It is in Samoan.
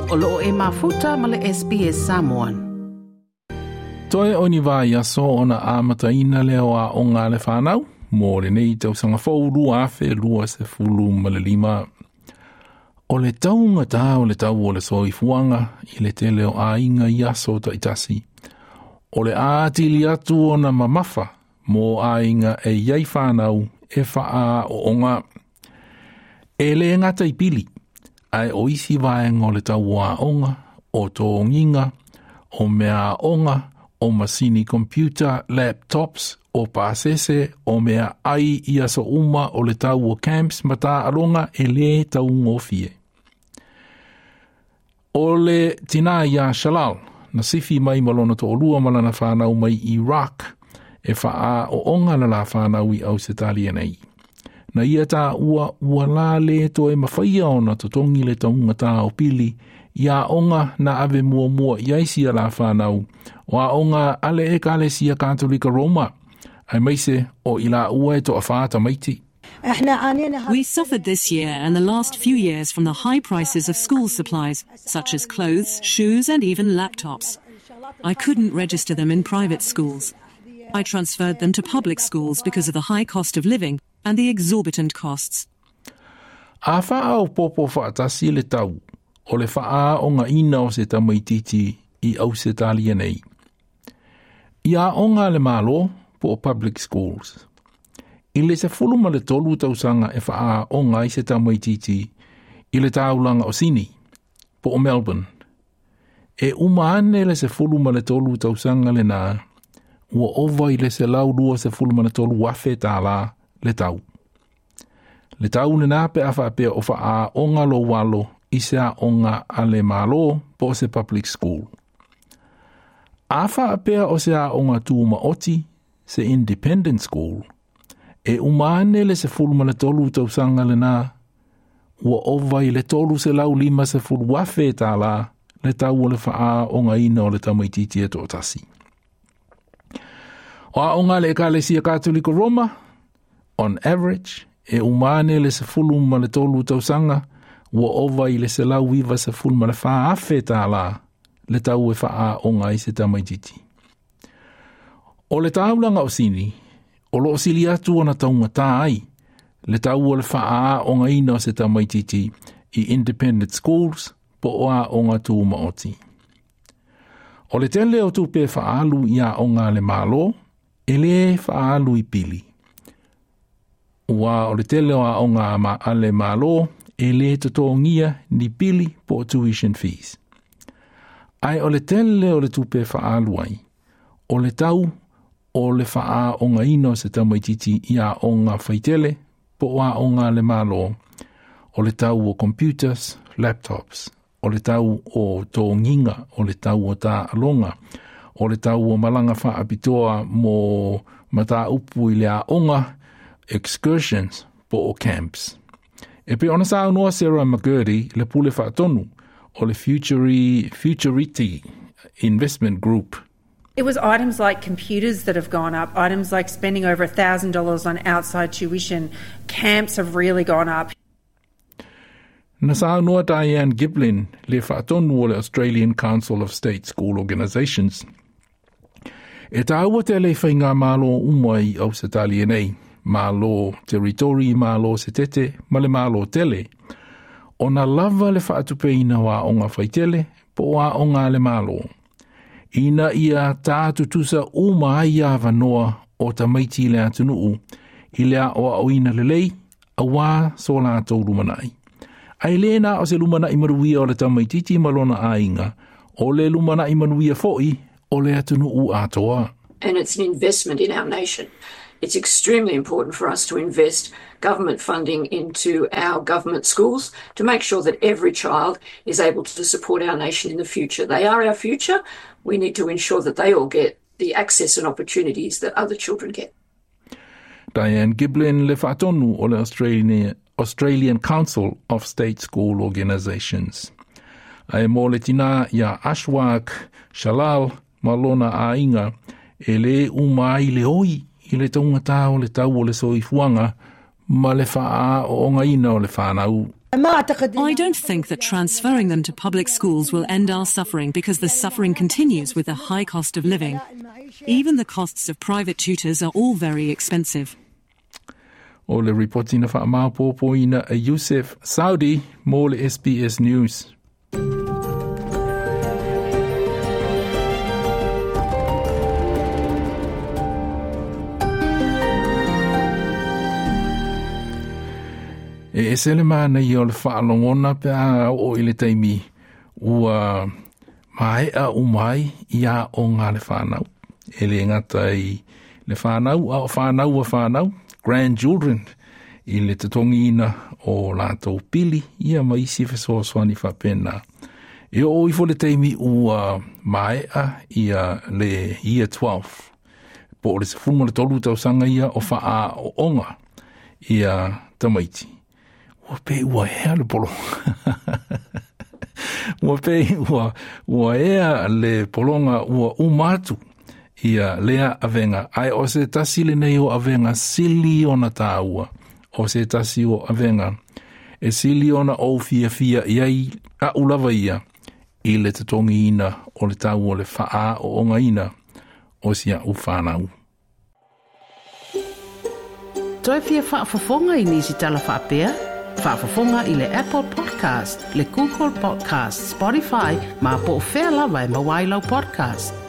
O loo e mafuta ma le SBS Samoan. Toe o ni vaiaso ona amataina lea o aoga a le fanau mo lenei tausaga fou 2025. O le taugatā o le tau o le soifuaga i le tele o aiga i aso taitasi. O le atili atu ona mamafa mo aiga e i ai fanau e faaooga. E le gata i pili, ae o isi vaega o le tau o aoga, o togiga, o mea aoga, o masini computer, laptops, o pasese, o meaai i aso uma o le tau o camps ma taaloga e le taugofie. O le tinā ia Shalal, na sifi mai ma lona toalua ma lana fanau mai Iraq, e faaooga le la fanau i Ausetalia nei. Na ia taua ua la le toe mafaia ona totogi le taugatā o pili i aoga na ave muamua i ai sia la fanau, o aoga a le Ekalesia Katolika Roma, aemaise o i laua e toafa tamaiti. We suffered this year and the last few years from the high prices of school supplies, such as clothes, shoes, and even laptops. I couldn't register them in private schools. I transferred them to public schools because of the high cost of living and the exorbitant costs. A faaopoopo faatasi le tau o le faaoogaina o se tamaititi i Ausetalia nei. I aoga a le Malo po o public schools. I le 13 tausaga e faaooga ai se tamaititi i le taulaga o Sini po o Melbourne. E uma ane le 13 tausaga lenā, ua ova i le $123,000 le tau. Le tau lenā pe a faapea o faaooga lou alo i se aoga a le Malo po o se public school. A faapea o se aoga tumaoti, se independent school, e uma ane le 13 tausaga lenā, ua ova i le $350,000 le tau o le faaoogaina o le tamaititi e toatasi. O aoga a le Ekalesia Katoliko Roma, on average, e uma ane le 13 tausaga, ua ova i le $194,000 le tau e faaooga ai se tamaititi. O le taulaga o Sini, o loo sili atu ona taugatā ai le tau o le faaoogaina o se tamaititi i independent schools po o aoga tumaoti. O le tele o tupe faaalu i aoga a le Malo, e le faaalu i pili. Ua o le tele o aoga a le Malo e le totogia ni pili po o tuition fees. Ae o le tele o le tupe faaalu ai, o le tau o le faaoogaina o se tamaititi i aoga faitele po o aoga a le Malo, o le tau o computers, laptops, o le tau o togiga, o le tau o taaloga, o le tau o malaga faapitoa mo mataupu i le aoga, excursions po o camps. E pei ona saunoa Sarah McGurdy, le pule faatonu o le Futurity Investment Group. It was items like computers that have gone up, items like spending over $1,000 on outside tuition. Camps have really gone up. Na saunoa Diane Giblin, le faatonu o le Australian Council of State School Organisations. E tāua tele i faigamalo uma i Ausetalia nei, Malo Territory, Malo Setete, ma le Malo tele, ona lava le faatupeina o aoga faitele po o aoga a le Malo. Ina ia tā tutusa uma ai avanoa o tamaiti i le atunuu i le aoaoina lelei, auā so latou lumanai. Ae le na o se lumanai manuia o le tamaititi ma lona aiga, o le lumanai manuia foi o le atunuu atoa. And it's an investment in our nation. It's extremely important for us to invest government funding into our government schools to make sure that every child is able to support our nation in the future. They are our future. We need to ensure that they all get the access and opportunities that other children get. Diane Giblin, le faatonu o le Australian Council of State School Organisations. Ae mo le tinā ia Ashwak Shalal ma lona aiga, e le uma ai le oi i le taugatā o le tau o le soifuaga ma le faaoogaina o le fanau. I don't think that transferring them to public schools will end our suffering because the suffering continues with the high cost of living. Even the costs of private tutors are all very expensive. O le ripoti na faamaopoopoina e Yusef Saudi mo le SBS News. E ese le manaia o le faalogona pe a oo i le taimi ua maea uma ai i aoga a le fanau. E le gata i le fanau a o fanau a fanau, grandchildren, i le totogiina o latou pili ia ma isi fesoasoani faapena. E oo ifo le taimi ua maea ia le year 12, po o le 13 tausaga ia o faaooga ia tamaiti. Ua pei ua ea le pologa. Ua pei ua ea le pologa ua uma atu ia lea avega. Ae o se tasi lenei o avega sili ona tāua. O se tasi o avega e sili ona ou fiafia iai a'u lava ia i le totogiina o le tau o le faaoogaina o si a'u fanau. Toe fia faafofoga i nisi tala faapea? Faafofoga i le Apple Podcast, le Google Podcast, Spotify, ma po o fea lava e maua ai lau podcast.